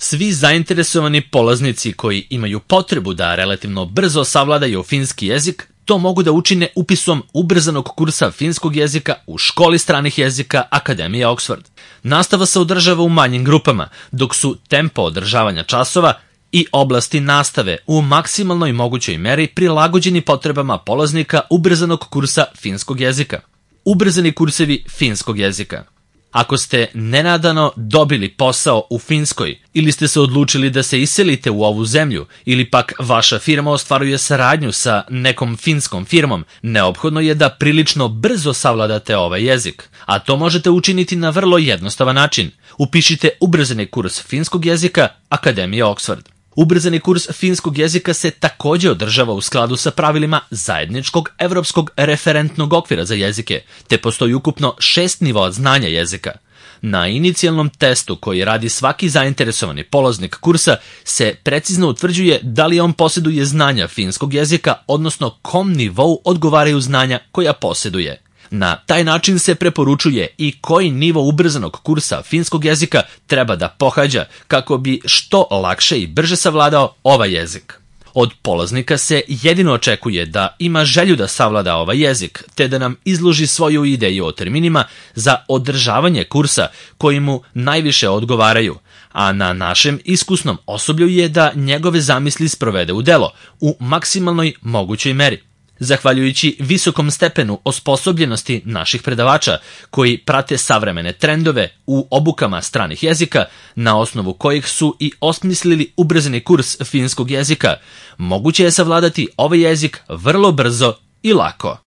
Svi zainteresovani polaznici koji imaju potrebu da relativno brzo savladaju finski jezik, to mogu da učine upisom ubrzanog kursa finskog jezika u školi stranih jezika Akademije Oxford. Nastava se održava u manjim grupama, dok su tempo održavanja časova i oblasti nastave u maksimalnoj mogućoj meri prilagođeni potrebama polaznika ubrzanog kursa finskog jezika. Ubrzani kursevi finskog jezika. Ako ste nenadano dobili posao u Finskoj ili ste se odlučili da se iselite u ovu zemlju ili pak vaša firma ostvaruje saradnju sa nekom finskom firmom, neophodno je da prilično brzo savladate ovaj jezik, a to možete učiniti na vrlo jednostavan način. Upišite ubrzani kurs finskog jezika Akademije Oxford. Ubrzani kurs finskog jezika se također održava u skladu sa pravilima zajedničkog evropskog referentnog okvira za jezike, te postoji ukupno 6 nivoa znanja jezika. Na inicijalnom testu koji radi svaki zainteresovani polaznik kursa se precizno utvrđuje da li on posjeduje znanja finskog jezika, odnosno kom nivou odgovaraju znanja koja posjeduje. Na taj način se preporučuje i koji nivo ubrzanog kursa finskog jezika treba da pohađa kako bi što lakše i brže savladao ovaj jezik. Od polaznika se jedino očekuje da ima želju da savlada ovaj jezik, te da nam izloži svoju ideju o terminima za održavanje kursa koji mu najviše odgovaraju, a na našem iskusnom osoblju je da njegove zamisli sprovede u delo u maksimalnoj mogućoj meri. Zahvaljujući visokom stepenu osposobljenosti naših predavača koji prate savremene trendove u obukama stranih jezika, na osnovu kojih su i osmislili ubrzani kurs finskog jezika, moguće je savladati ovaj jezik vrlo brzo i lako.